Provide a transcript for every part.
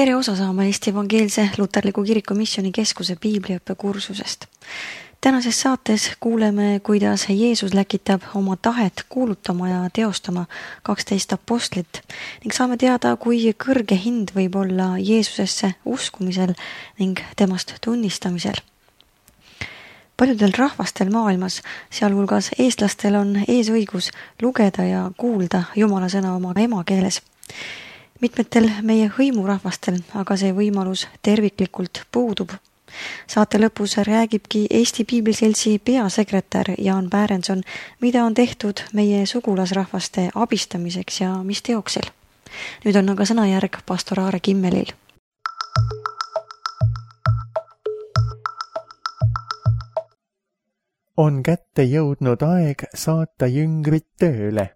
Tere osa saama Eesti Evangeelse Luterliku Kiriku Missioonikeskuse piibliõppekursusest. Tänases saates kuuleme, kuidas Jeesus läkitab oma tahet kuulutama ja teostama 12 apostlit ning saame teada, kui kõrge hind võib olla Jeesusesse uskumisel ning temast tunnistamisel. Paljudel rahvastel maailmas, sealhulgas eestlastel, on eesõigus lugeda ja kuulda Jumala sõna oma emakeeles. Mitmetel meie hõimurahvastel aga see võimalus terviklikult puudub. Saate lõpus räägibki Eesti Piibliseltsi peasekretär Jaan Päärenson, mida on tehtud meie sugulasrahvaste abistamiseks ja mis teoksel. Nüüd on aga sõnajärg pastor Aare Kimmelil. On kätte jõudnud aeg saata jüngrid tööle.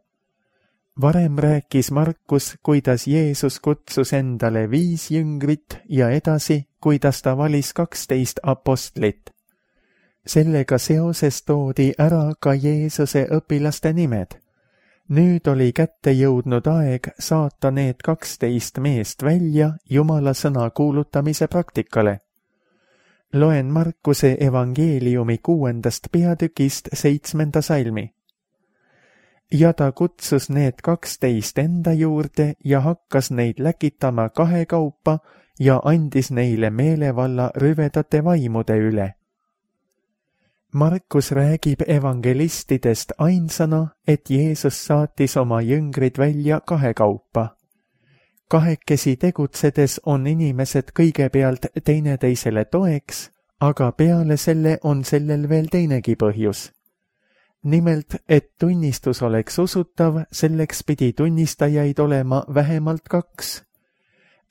Varem rääkis Markus, kuidas Jeesus kutsus endale 5 jüngrit ja edasi, kuidas ta valis 12 apostlit. Sellega seoses toodi ära ka Jeesuse õpilaste nimed. Nüüd oli kätte jõudnud aeg saata need 12 meest välja Jumala sõna kuulutamise praktikale. Loen Markuse evangeeliumi 6. peatükist 7. salmi. Ja ta kutsus need 12 enda juurde ja hakkas neid läkitama 2 kaupa ja andis neile meelevalla rüvedate vaimude üle. Markus räägib evangelistidest ainsana, et Jeesus saatis oma jüngrid välja 2 kaupa. Kahekesi tegutsedes on inimesed kõigepealt teineteisele toeks, aga peale selle on sellel veel teinegi põhjus. Nimelt, et tunnistus oleks usutav, selleks pidi tunnistajaid olema vähemalt 2.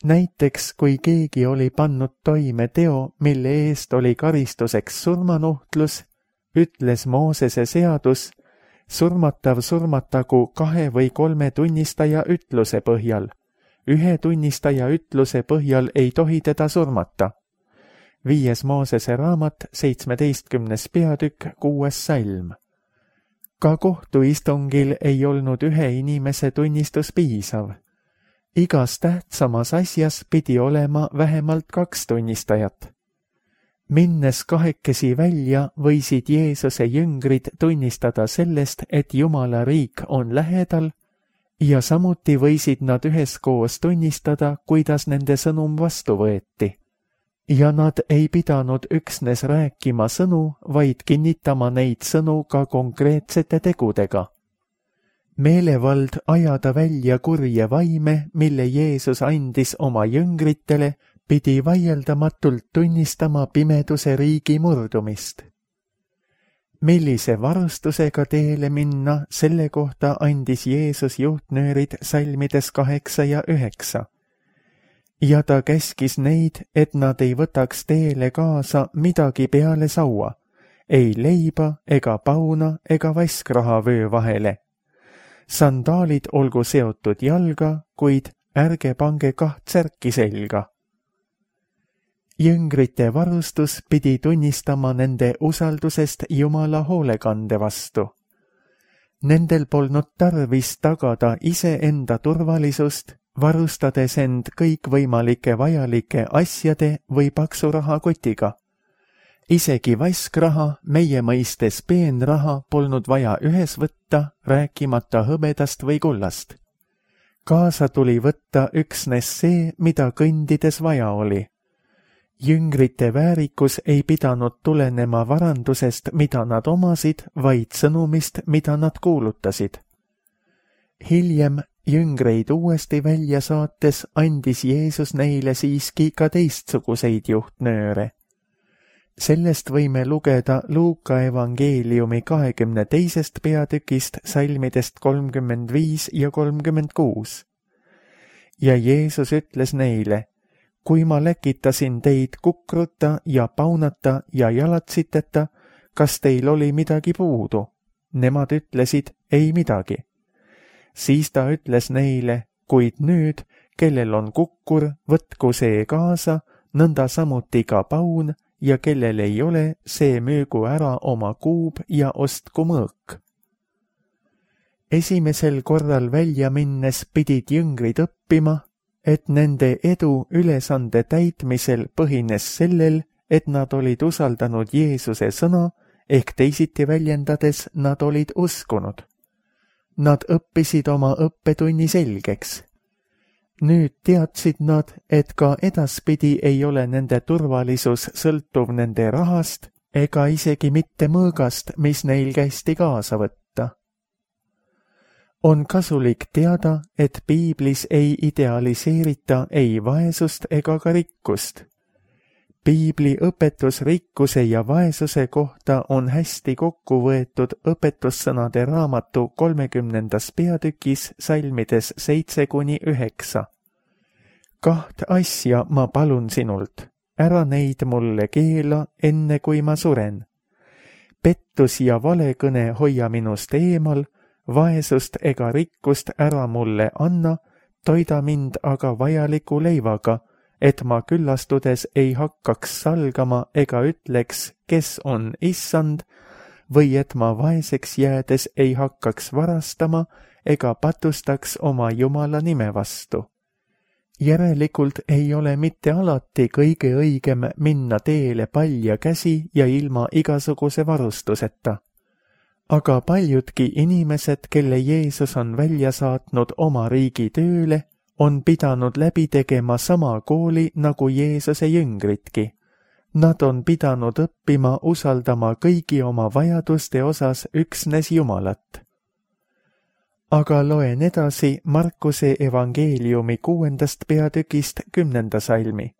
Näiteks, kui keegi oli pannud toime teo, mille eest oli karistuseks surmanuhtlus, ütles Moosese seadus, surmatav surmatagu 2 või 3 tunnistaja ütluse põhjal. 1 tunnistaja ütluse põhjal ei tohi teda surmata. 5. Moosese raamat, 17. peatükk, 6. salm. Ka kohtuistungil ei olnud 1 inimese tunnistus piisav. Igas tähtsamas asjas pidi olema vähemalt 2 tunnistajat. Minnes kahekesi välja, võisid Jeesuse jüngrid tunnistada sellest, et Jumala riik on lähedal, ja samuti võisid nad üheskoos tunnistada, kuidas nende sõnum vastu võeti. Ja nad ei pidanud üksnes rääkima sõnu, vaid kinnitama neid sõnu ka konkreetsete tegudega. Meelevald ajada välja kurje vaime, mille Jeesus andis oma jüngritele, pidi vaieldamatult tunnistama pimeduse riigi murdumist. Millise varustusega teele minna, selle kohta andis Jeesus juhtnöörid salmides 8 ja 9. Ja ta käskis neid, et nad ei võtaks teele kaasa midagi peale saua, ei leiba ega pauna ega vaskraha vöö vahele. Sandaalid olgu seotud jalga, kuid ärge pange 2 särki selga. Jüngrite varustus pidi tunnistama nende usaldusest Jumala hoolekande vastu. Nendel polnud tarvis tagada iseenda turvalisust, varustades end kõikvõimalike vajalike asjade või paksu rahakotiga. Isegi vaskraha, meie mõistes peenraha, polnud vaja ühes võtta, rääkimata hõbedast või kullast. Kaasa tuli võtta üksnes see, mida kõndides vaja oli. Jüngrite väärikus ei pidanud tulenema varandusest, mida nad omasid, vaid sõnumist, mida nad kuulutasid. Hiljem jüngreid uuesti välja saates andis Jeesus neile siiski ka teistsuguseid juhtnööre. Sellest võime lugeda Luuka evangeeliumi 22. peatükist salmidest 35 ja 36. Ja Jeesus ütles neile, kui ma läkitasin teid kukruta ja paunata ja jalatsiteta, kas teil oli midagi puudu? Nemad ütlesid, ei midagi. Siis ta ütles neile, kuid nüüd, kellel on kukkur, võtku see kaasa, nõnda samuti ka paun, ja kellel ei ole, see müügu ära oma kuub ja ostku mõõk. Esimesel korral välja minnes pidid jüngrid õppima, et nende edu ülesande täitmisel põhines sellel, et nad olid usaldanud Jeesuse sõna, ehk teisiti väljendades nad olid uskunud. Nad õppisid oma õppetunni selgeks. Nüüd teadsid nad, et ka edaspidi ei ole nende turvalisus sõltuv nende rahast ega isegi mitte mõõgast, mis neil kästi kaasa võtta. On kasulik teada, et piiblis ei idealiseerita ei vaesust ega ka rikkust. Piibli õpetus rikkuse ja vaesuse kohta on hästi kokku võetud õpetussõnade raamatu 30. peatükis salmides 7-9. 2 asja ma palun sinult, ära neid mulle keela, enne kui ma suren. Pettus ja valekõne hoia minust eemal, vaesust ega rikkust ära mulle anna, toida mind aga vajaliku leivaga, et ma küllastudes ei hakkaks salgama ega ütleks, kes on issand, või et ma vaeseks jäädes ei hakkaks varastama ega patustaks oma Jumala nime vastu. Järelikult ei ole mitte alati kõige õigem minna teele palja käsi ja ilma igasuguse varustuseta. Aga paljudki inimesed, kelle Jeesus on välja saatnud oma riigi tööle, on pidanud läbi tegema sama kooli nagu Jeesuse jüngritki. Nad on pidanud õppima usaldama kõigi oma vajaduste osas üksnes Jumalat. Aga loen edasi Markuse evangeeliumi 6. peatükist 10. salmi.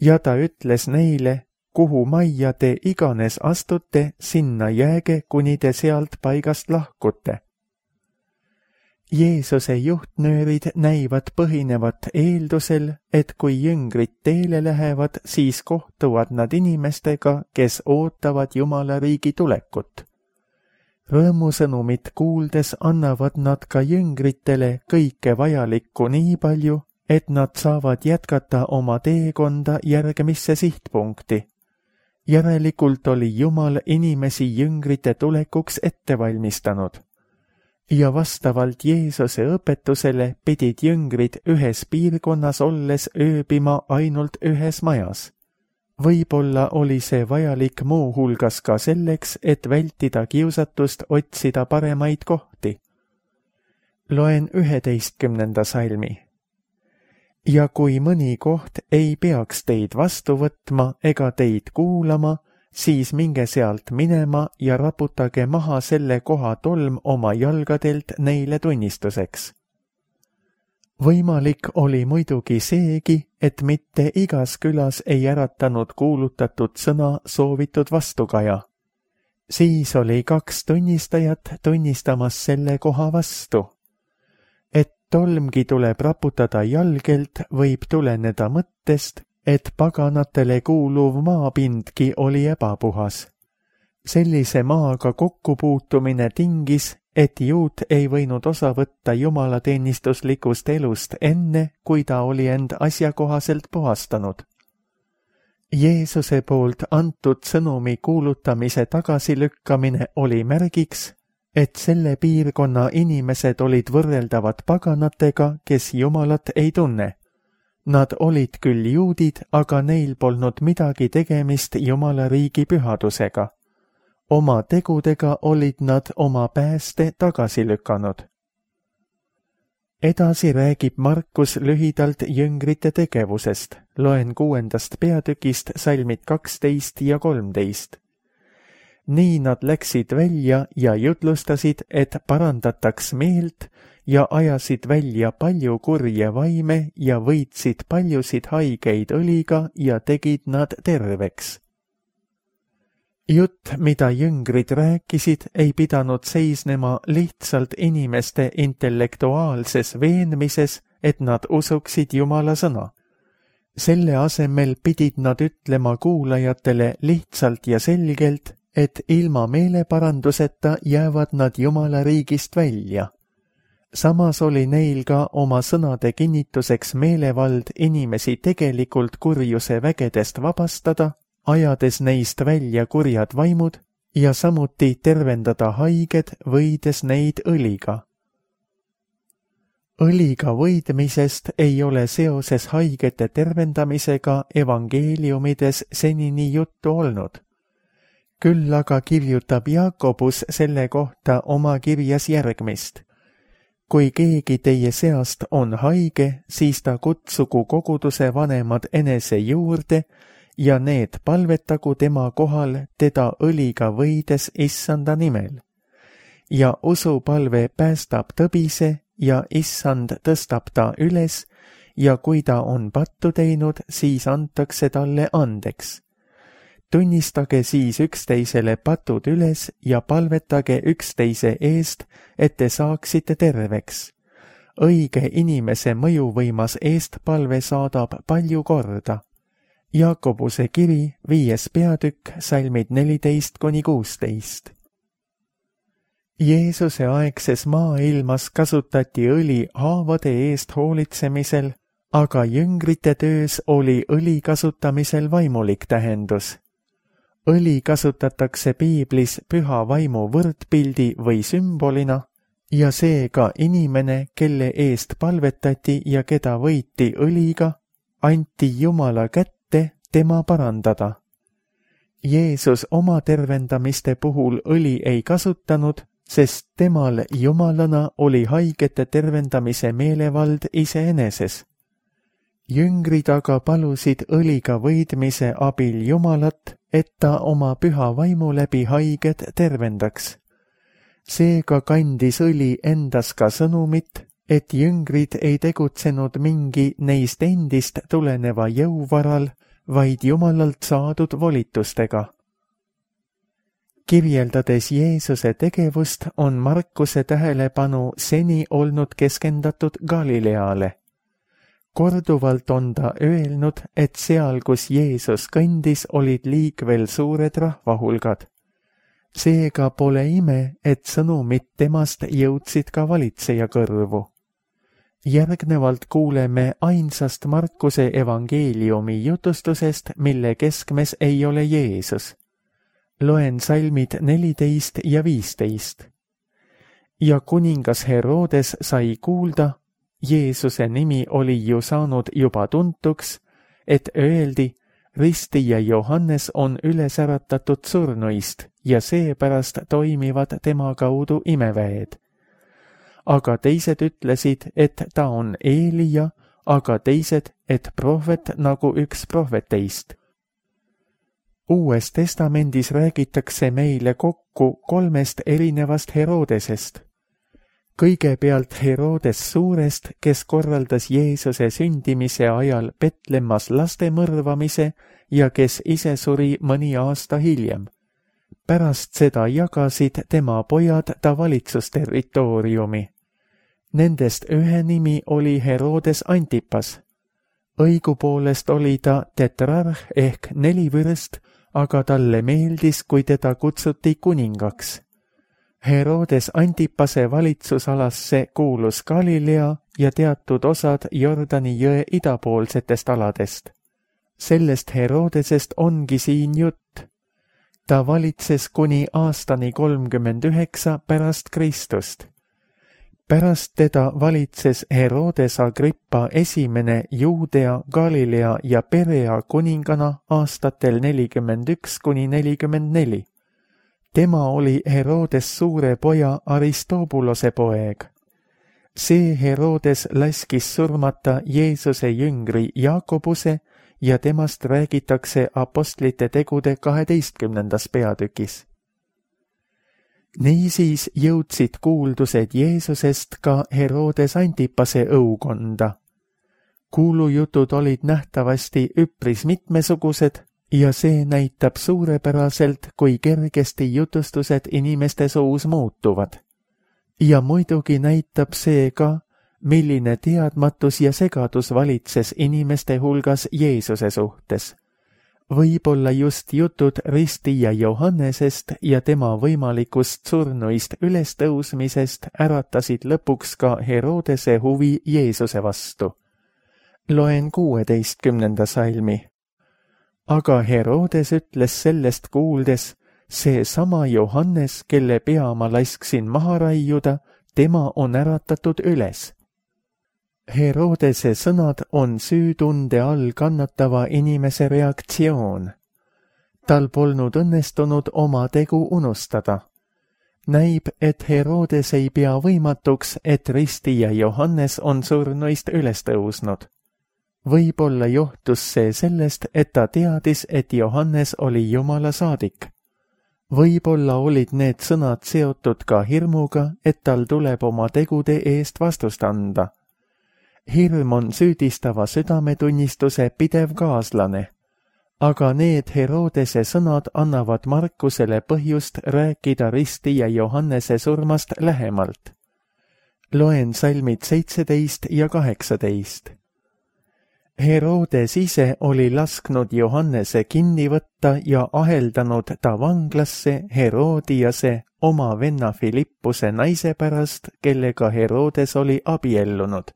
Ja ta ütles neile, kuhu majja te iganes astute, sinna jääge, kuni te sealt paigast lahkute. Jeesuse juhtnöörid näivad põhinevat eeldusel, et kui jüngrid teele lähevad, siis kohtuvad nad inimestega, kes ootavad Jumala riigi tulekut. Rõõmusõnumit kuuldes annavad nad ka jüngritele kõike vajalikku nii palju, et nad saavad jätkata oma teekonda järgmisse sihtpunkti. Järelikult oli Jumal inimesi jüngrite tulekuks ette valmistanud. Ja vastavalt Jeesuse õpetusele pidid jüngrid ühes piirkonnas olles ööbima ainult ühes majas. Võib-olla oli see vajalik muu hulgas ka selleks, et vältida kiusatust otsida paremaid kohti. Loen 11. salmi. Ja kui mõni koht ei peaks teid vastu võtma ega teid kuulama, siis minge sealt minema ja raputage maha selle koha tolm oma jalgadelt neile tunnistuseks. Võimalik oli muidugi seegi, et mitte igas külas ei äratanud kuulutatud sõna soovitud vastukaja. Siis oli 2 tunnistajat tunnistamas selle koha vastu. Et tolmgi tuleb raputada jalgelt, võib tuleneda mõttest, et paganatele kuuluv maapindki oli ebapuhas. Sellise maaga kokkupuutumine tingis, et juut ei võinud osa võtta jumalateenistuslikust elust enne, kui ta oli end asjakohaselt puhastanud. Jeesuse poolt antud sõnumi kuulutamise tagasilükkamine oli märgiks, et selle piirkonna inimesed olid võrreldavad paganatega, kes Jumalat ei tunne. Nad olid küll juudid, aga neil polnud midagi tegemist Jumala riigi pühadusega. Oma tegudega olid nad oma pääste tagasi lükanud. Edasi räägib Markus lühidalt jüngrite tegevusest. Loen 6. peatükist salmid 12 ja 13. Nii nad läksid välja ja jutlustasid, et parandataks meelt ja ajasid välja palju kurje vaime ja võitsid paljusid haigeid õliga ja tegid nad terveks. Jutt, mida jüngrid rääkisid, ei pidanud seisnema lihtsalt inimeste intellektuaalses veenmises, et nad usuksid Jumala sõna. Selle asemel pidid nad ütlema kuulajatele lihtsalt ja selgelt, et ilma meeleparanduseta jäävad nad Jumala riigist välja. Samas oli neil ka oma sõnade kinnituseks meelevald inimesi tegelikult kurjuse vägedest vabastada, ajades neist välja kurjad vaimud ja samuti tervendada haiged, võides neid õliga. õliga võidmisest ei ole seoses haigete tervendamisega evangeeliumides senini juttu olnud. Küll aga kirjutab Jaakobus selle kohta oma kirjas järgmist. Kui keegi teie seast on haige, siis ta kutsugu koguduse vanemad enese juurde ja need palvetagu tema kohal teda õliga võides issanda nimel. Ja usupalve päästab tõbise ja issand tõstab ta üles ja kui ta on pattu teinud, siis antakse talle andeks. Tunnistage siis üksteisele patud üles ja palvetage üksteise eest, et te saaksite terveks. Õige inimese mõjuvõimas eestpalve saadab palju korda. Jaakobuse kiri 5. peatükk, salmid 14–16. Jeesuse aegses maailmas kasutati õli haavade eest hoolitsemisel, aga jüngrite töös oli õli kasutamisel vaimulik tähendus. Õli kasutatakse piiblis püha vaimu võrdpildi või sümbolina ja seega inimene, kelle eest palvetati ja keda võiti õliga, anti Jumala kätte tema parandada. Jeesus oma tervendamiste puhul õli ei kasutanud, sest temal Jumalana oli haigete tervendamise meelevald iseeneses. Jüngrid aga palusid õliga võidmise abil Jumalat, et ta oma püha vaimu läbi haiged tervendaks. Seega kandis õli endas ka sõnumit, et jüngrid ei tegutsenud mingi neist endist tuleneva jõuvaral, vaid Jumalalt saadud volitustega. Kirjeldades Jeesuse tegevust on Markuse tähelepanu seni olnud keskendatud Galileale. Korduvalt on ta öelnud, et seal, kus Jeesus kõndis, olid liikvel suured rahvahulgad. Seega pole ime, et sõnumid temast jõudsid ka valitseja kõrvu. Järgnevalt kuuleme ainsast Markuse evangeeliumi jutustusest, mille keskmes ei ole Jeesus. Loen salmid 14 ja 15. Ja kuningas Herodes sai kuulda, Jeesuse nimi oli ju saanud juba tuntuks, et öeldi, ristija Johannes on üles äratatud surnuist ja seepärast toimivad tema kaudu imeväed. Aga teised ütlesid, et ta on Eelija, aga teised, et prohvet nagu üks prohveteist. Uues testamendis räägitakse meile kokku 3 erinevast Herodesest. Kõigepealt Herodes Suurest, kes korraldas Jeesuse sündimise ajal Betlemmas laste mõrvamise ja kes ise suri mõni aasta hiljem. Pärast seda jagasid tema pojad ta valitsusterritooriumi. Nendest ühe nimi oli Herodes Antipas. Õigupoolest oli ta tetrarh ehk 4 vürst, aga talle meeldis, kui teda kutsuti kuningaks. Herodes Antipase valitsusalasse kuulus Galilea ja teatud osad Jordani jõe idapoolsetest aladest. Sellest Herodesest ongi siin jutt. Ta valitses kuni aastani 39 pärast Kristust. Pärast teda valitses Herodes Agrippa esimene Juudea, Galilea ja Perea kuningana aastatel 41–44. Tema oli Herodes suure poja Aristobulose poeg. See Herodes laskis surmata Jeesuse jüngri Jaakobuse ja temast räägitakse apostlite tegude 12. peatükis. Niisiis jõudsid kuuldused Jeesusest ka Herodes Antipase õukonda. Kuulujutud olid nähtavasti üpris mitmesugused ja see näitab suurepäraselt, kui kergesti jutustused inimeste suus muutuvad. Ja muidugi näitab see ka, milline teadmatus ja segadus valitses inimeste hulgas Jeesuse suhtes. Võib-olla just jutud ristija Johannesest ja tema võimalikust surnuist ülestõusmisest äratasid lõpuks ka Herodese huvi Jeesuse vastu. Loen 16. salmi. Aga Herodes ütles sellest kuuldes, see sama Johannes, kelle pea ma lasksin maha raiuda, tema on äratatud üles. Herodese sõnad on süütunde all kannatava inimese reaktsioon. Tal polnud õnnestunud oma tegu unustada. Näib, et Herodes ei pea võimatuks, et ristija Johannes on surnuist üles tõusnud. Võib-olla johtus see sellest, et ta teadis, et Johannes oli Jumala saadik. Võib-olla olid need sõnad seotud ka hirmuga, et tal tuleb oma tegude eest vastust anda. Hirm on süüdistava südametunnistuse pidev kaaslane, aga need Herodese sõnad annavad Markusele põhjust rääkida ristija Johannese surmast lähemalt. Loen salmid 17 ja 18. Herodes ise oli lasknud Johannese kinni võtta ja aheldanud ta vanglasse Herodiase oma venna Filippuse naise pärast, kellega Herodes oli abiellunud.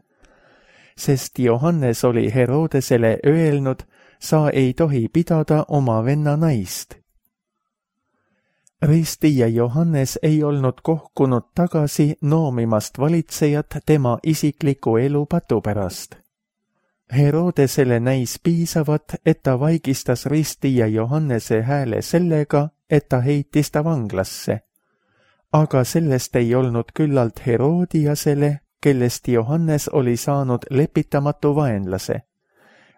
Sest Johannes oli Herodesele öelnud, sa ei tohi pidada oma venna naist. Ristija Johannes ei olnud kohkunud tagasi noomimast valitsejat tema isikliku elu patu pärast. Herodesele näis piisavat, et ta vaigistas ristija Johannese hääle sellega, et ta heitis ta vanglasse. Aga sellest ei olnud küllalt Herodiasele, kellest Johannes oli saanud lepitamatu vaenlase.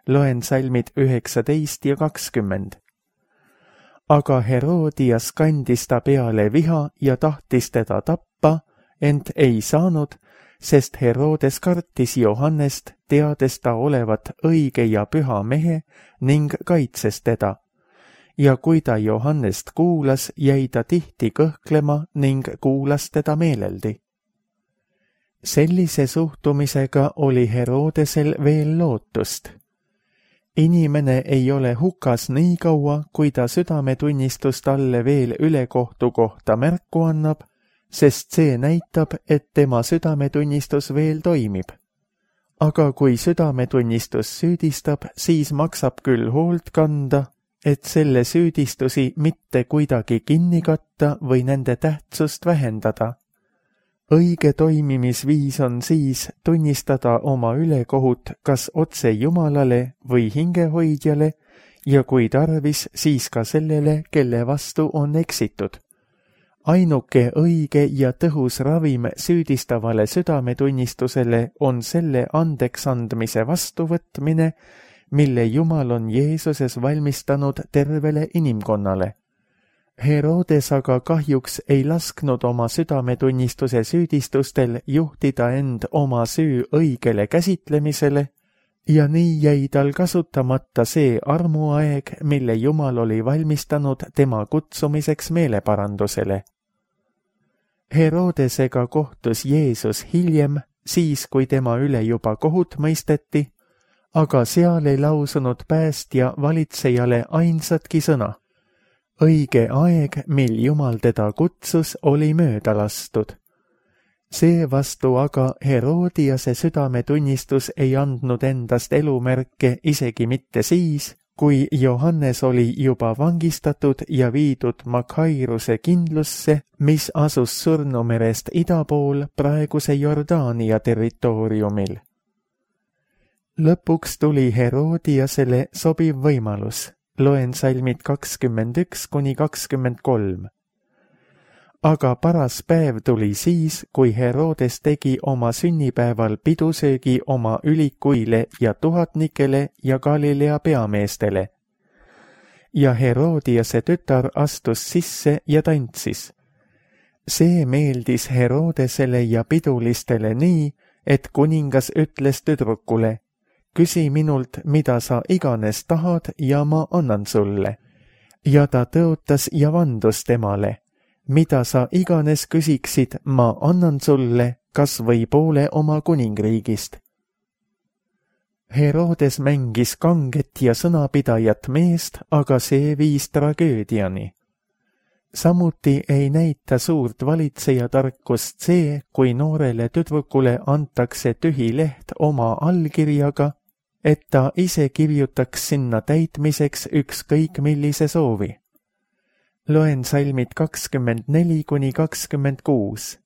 Loen salmid 19 ja 20. Aga Herodias kandis ta peale viha ja tahtis teda tappa, ent ei saanud, sest Herodes kartis Johannest, teades ta olevat õige ja püha mehe ning kaitses teda. Ja kui ta Johannest kuulas, jäi ta tihti kõhklema ning kuulas teda meeleldi. Sellise suhtumisega oli Herodesel veel lootust. Inimene ei ole hukas nii kaua, kui ta südametunnistust talle veel ülekohtu kohta märku annab, sest see näitab, et tema südametunnistus veel toimib. Aga kui südametunnistus süüdistab, siis maksab küll hoolt kanda, et selle süüdistusi mitte kuidagi kinni katta või nende tähtsust vähendada. Õige toimimisviis on siis tunnistada oma ülekohut kas otse Jumalale või hingehoidjale ja kui tarvis, siis ka sellele, kelle vastu on eksitud. Ainuke õige ja tõhus ravim süüdistavale südametunnistusele on selle andeksandmise vastuvõtmine, mille Jumal on Jeesuses valmistanud tervele inimkonnale. Herodes aga kahjuks ei lasknud oma südametunnistuse süüdistustel juhtida end oma süü õigele käsitlemisele ja nii jäi tal kasutamata see armuaeg, mille Jumal oli valmistanud tema kutsumiseks meeleparandusele. Herodesega kohtus Jeesus hiljem, siis kui tema üle juba kohut mõisteti, aga seal ei lausunud päästja valitsejale ainsatki sõna. Õige aeg, mil Jumal teda kutsus, oli mööda lastud. Seevastu aga Herodiase südametunnistus ei andnud endast elumärke isegi mitte siis, kui Johannes oli juba vangistatud ja viidud Makhairuse kindlusse, mis asus Surnumerest ida pool praeguse Jordaania territooriumil. Lõpuks tuli Herodiasele sobiv võimalus. Loen salmid 21 kuni 23. Aga paras päev tuli siis, kui Herodes tegi oma sünnipäeval pidusöögi oma ülikuile ja tuhatnikele ja Galilea peameestele. Ja Herodiase tütar astus sisse ja tantsis. See meeldis Herodesele ja pidulistele nii, et kuningas ütles tüdrukule, küsi minult, mida sa iganes tahad ja ma annan sulle. Ja ta tõotas ja vandus temale, mida sa iganes küsiksid, ma annan sulle, kas või poole oma kuningriigist. Herodes mängis kanget ja sõnapidajat meest, aga see viis tragöödiani. Samuti ei näita suurt valitseja tarkust see, kui noorele tüdrukule antakse tühi leht oma allkirjaga, et ta ise kirjutaks sinna täitmiseks ükskõik millise soovi. Loen salmid 24 kuni 26.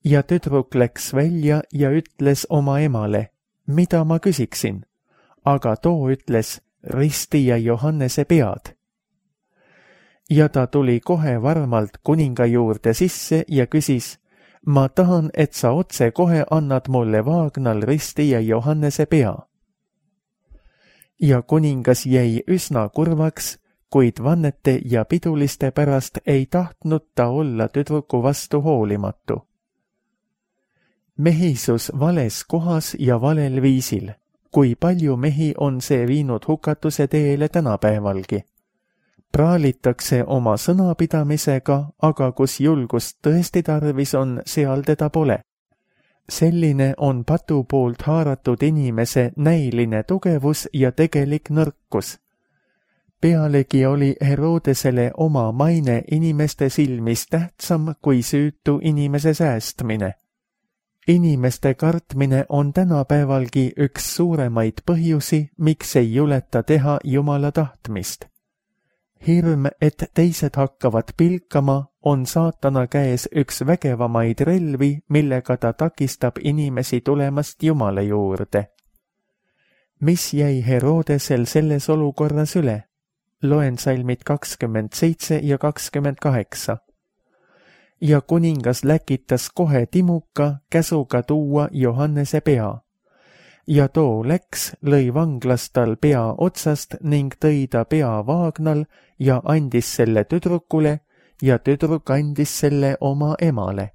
ja tüdruk läks välja ja ütles oma emale, mida ma küsiksin, aga too ütles, risti ja Johannese pead. Ja ta tuli kohe varmalt kuninga juurde sisse ja küsis, ma tahan, et sa otse kohe annad mulle Vaagnal risti ja Johannese pea. Ja kuningas jäi üsna kurvaks, kuid vannete ja piduliste pärast ei tahtnud ta olla tüdruku vastu hoolimatu. Mehisus vales kohas ja valel viisil, kui palju mehi on see viinud hukatuse teele tänapäevalgi. Praalitakse oma sõnapidamisega, aga kus julgust tõesti tarvis on, seal teda pole. Selline on patu poolt haaratud inimese näiline tugevus ja tegelik nõrkus. Pealegi oli Herodesele oma maine inimeste silmis tähtsam kui süütu inimese säästmine. Inimeste kartmine on tänapäevalgi üks suuremaid põhjusi, miks ei juleta teha Jumala tahtmist. Hirm, et teised hakkavad pilkama, on saatana käes üks vägevamaid relvi, millega ta takistab inimesi tulemast Jumala juurde. Mis jäi Herodesel selles olukorras üle? Loen salmid 27 ja 28. Ja kuningas läkitas kohe timuka käsuga tuua Johannese pea. Ja too läks, lõi vanglas tal pea otsast ning tõi ta pea Vaagnal ja andis selle tüdrukule ja tüdruk andis selle oma emale.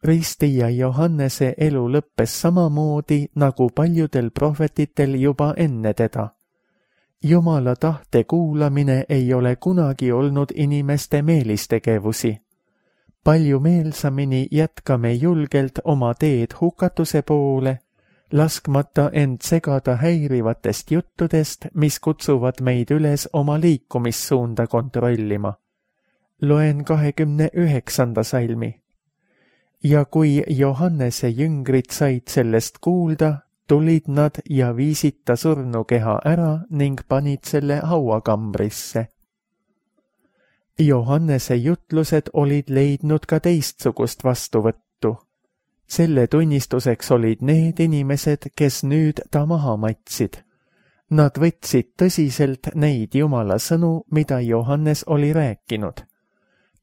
Risti ja Johannese elu lõppes samamoodi nagu paljudel prohvetitel juba enne teda. Jumala tahte kuulamine ei ole kunagi olnud inimeste meelistegevusi. Palju meelsamini jätkame julgelt oma teed hukatuse poole, laskmata end segada häirivatest juttudest, mis kutsuvad meid üles oma liikumissuunda kontrollima. Loen 29. salmi. Ja kui Johannese jüngrid said sellest kuulda, tulid nad ja viisid ta surnukeha ära ning panid selle hauakambrisse. Johannese jutlused olid leidnud ka teistsugust vastuvõttu. Selle tunnistuseks olid need inimesed, kes nüüd ta maha matsid. Nad võtsid tõsiselt neid Jumala sõnu, mida Johannes oli rääkinud.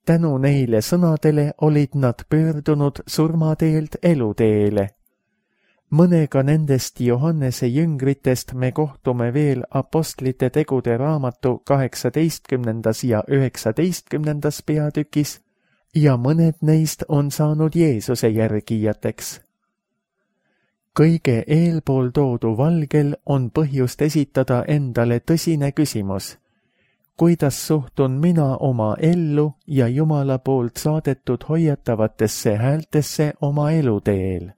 Tänu neile sõnadele olid nad pöördunud surmateelt eluteele. Mõnega nendest Johannese jüngritest me kohtume veel Apostlite tegude raamatu 18. ja 19. peatükis ja mõned neist on saanud Jeesuse järgijateks. Kõige eelpool toodu valgel on põhjust esitada endale tõsine küsimus. Kuidas suhtun mina oma ellu ja Jumala poolt saadetud hoiatavatesse häältesse oma eluteel?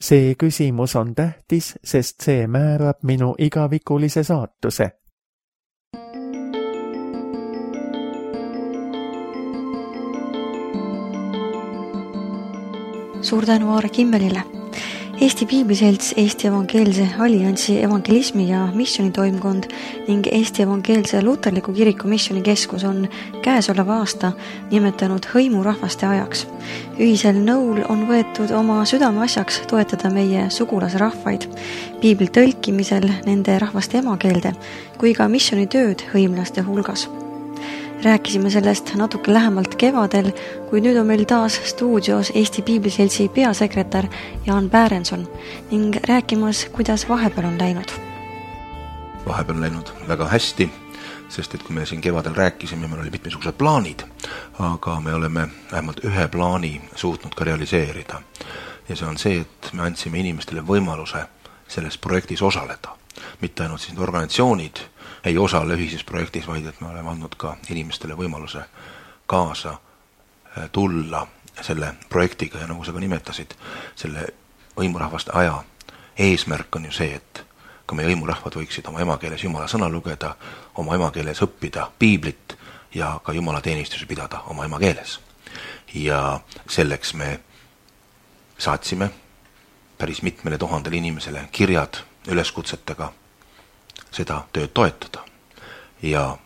See küsimus on tähtis, sest see määrab minu igavikulise saatuse. Suur tänu Aare Kimmelile. Eesti Piibliselts, Eesti Evangeelse Alliansi evangelismi ja missionitoimkond ning Eesti Evangeelse Luterliku Kiriku Missioonikeskus on käesoleva aasta nimetanud hõimurahvaste ajaks. Ühisel nõul on võetud oma südameasjaks toetada meie sugulasrahvaid piibli tõlkimisel nende rahvaste emakeelde kui ka missioonitööd hõimlaste hulgas. Rääkisime sellest natuke lähemalt kevadel, kui nüüd on meil taas stuudios Eesti Piibliseltsi peasekretär Jaan Bärenson ning rääkimas, kuidas vahepeal on läinud. Vahepeal on läinud väga hästi, sest et kui me siin kevadel rääkisime, meil oli mitmesugused plaanid, aga me oleme vähemalt ühe plaani suutnud ka realiseerida. Ja see on see, et me andsime inimestele võimaluse selles projektis osaleda. Mitte ainult siis organisatsioonid ei osale ühises projektis, vaid et me oleme andnud ka inimestele võimaluse kaasa tulla selle projektiga ja nagu sa ka nimetasid, selle hõimurahvaste aja eesmärk on ju see, et ka meie hõimurahvad võiksid oma emakeeles Jumala sõna lugeda, oma emakeeles õppida piiblit ja ka Jumala teenistusi pidada oma emakeeles. Ja selleks me saatsime päris mitmele 1000 inimesele kirjad üleskutsetega seda tööd toetada. Ja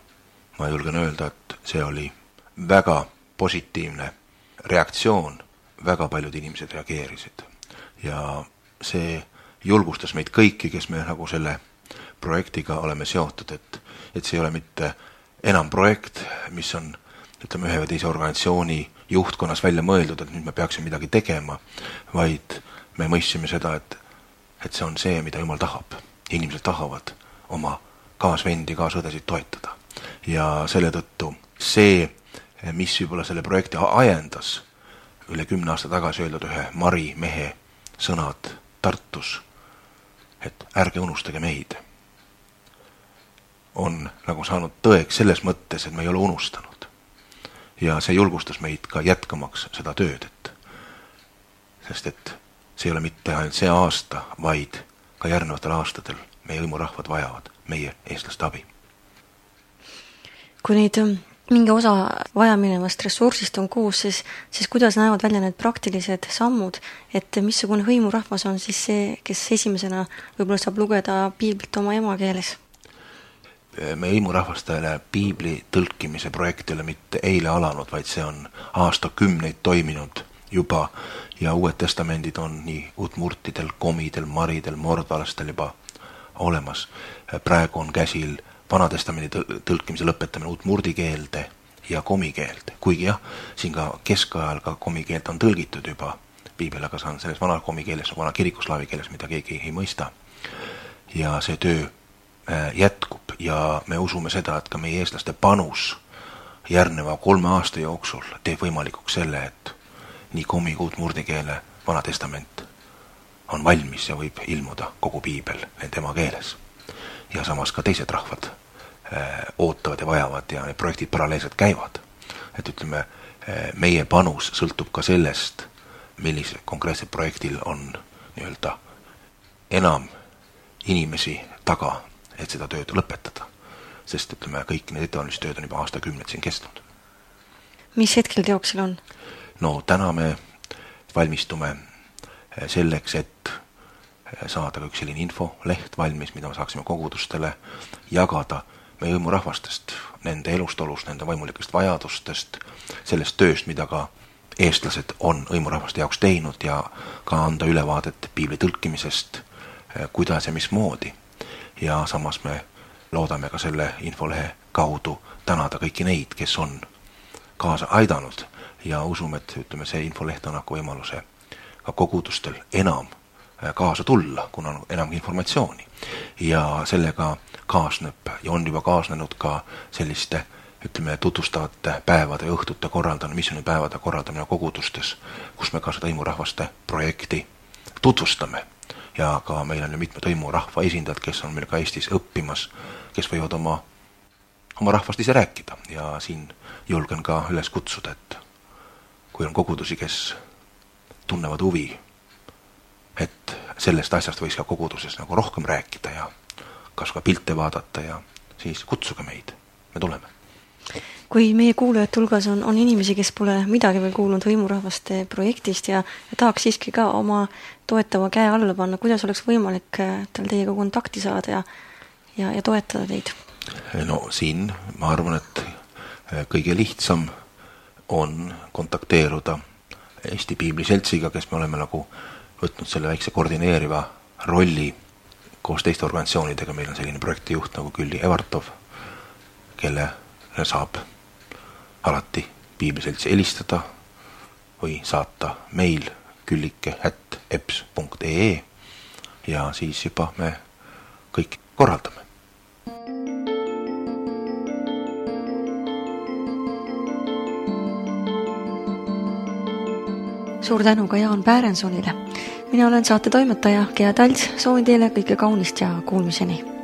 ma julgen öelda, et see oli väga positiivne reaktsioon väga paljud inimesed reageerisid. Ja see julgustas meid kõiki, kes me nagu selle projektiga oleme seotud, et see ei ole mitte enam projekt, mis on, ütleme, ühe või teise organisatsiooni juhtkonnas välja mõeldud, et nüüd me peaksime midagi tegema, vaid me mõistsime seda, et see on see, mida Jumal tahab. Inimesed tahavad oma kaasvendi, kaasõdesid toetada. Ja selle tõttu see, mis võib-olla selle projekti ajendas, üle 10 aasta tagasi öeldud ühe Mari mehe sõnad Tartus, et ärge unustage meid, on nagu saanud tõeks selles mõttes, et me ei ole unustanud. Ja see julgustas meid ka jätkamaks seda tööd, sest et see ei ole mitte ainult see aasta, vaid ka järgnevatel aastatel meie hõimurahvad vajavad meie eestlaste abi. Kui neid mingi osa vajaminevast ressursist on koos, siis kuidas näevad välja need praktilised sammud, et missugune hõimurahvas on siis see, kes esimesena võib-olla saab lugeda piiblit oma emakeeles? Meie hõimurahvastele piibli tõlkimise projekt ei ole mitte eile alanud, vaid see on aastakümneid toiminud juba ja Uued Testamendid on nii Udmurtidel, Komidel, Maridel, Mordvalastel juba olemas. Praegu on käsil Vanatestamendi tõlkimise lõpetamine udmurdi keelde ja komi keelde. Kuigi jah, siin ka keskajal ka komi keelt on tõlgitud juba piibel, aga see on selles vana komi keeles, vana kirikuslaavi keeles, mida keegi ei mõista. Ja see töö jätkub ja me usume seda, et ka meie eestlaste panus järgneva 3 aasta jooksul teeb võimalikuks selle, et nii komi kui udmurdi keele Vanatestament on valmis ja võib ilmuda kogu piibel nende ema keeles. Ja samas ka teised rahvad ootavad ja vajavad ja need projektid paralleelselt käivad. Et ütleme, meie panus sõltub ka sellest, millise konkreetsel projektil on nii-öelda enam inimesi taga, et seda tööd lõpetada. Sest ütleme, kõik need ettevalmistustööd on juba aastakümneid siin kestnud. Mis hetkel teoksil on? No täna me valmistume selleks, et saada üks selline infoleht valmis, mida me saaksime kogudustele jagada meie hõimurahvastest, nende elustolust, nende vaimulikest vajadustest, sellest tööst, mida ka eestlased on hõimurahvaste jaoks teinud ja ka anda ülevaadet piibli tõlkimisest, kuidas ja mismoodi. Ja samas me loodame ka selle infolehe kaudu tänada kõiki neid, kes on kaasa aidanud ja usume, et ütleme, see infoleht annab võimaluse ka kogudustel enam kaasa tulla, kuna on enam informatsiooni. Ja sellega kaasneb ja on juba kaasnenud ka selliste, ütleme, tutvustavate päevade ja õhtute korraldamine, missioonipäevade korraldamine kogudustes, kus me ka seda hõimurahvaste projekti tutvustame. Ja ka meil on ju mitmed hõimurahva esindajad, kes on meil ka Eestis õppimas, kes võivad oma rahvast ise rääkida. Ja siin julgen ka üles kutsuda, et kui on kogudusi, kes tunnevad huvi, et sellest asjast võiks ka koguduses nagu rohkem rääkida ja kas ka pilte vaadata ja siis kutsuge meid, me tuleme. Kui meie kuulajate hulgas on inimesi, kes pole midagi veel kuulnud hõimurahvaste projektist ja tahaks siiski ka oma toetava käe alla panna, kuidas oleks võimalik tal teiega kontakti saada ja toetada teid? No siin ma arvan, et kõige lihtsam on kontakteeruda Eesti Piibli Seltsiga, kes me oleme nagu võtnud selle väikse koordineeriva rolli koos teiste organisatsioonidega. Meil on selline projektijuht nagu Külli Evartov, kelle saab alati Piibli Seltsi helistada või saata meil küllike@eps.ee ja siis juba me kõik korraldame. Suur tänu ka Jaan Päärensonile. Mina olen saate toimetaja Gea Talts, soovin teile kõike kaunist ja kuulmiseni.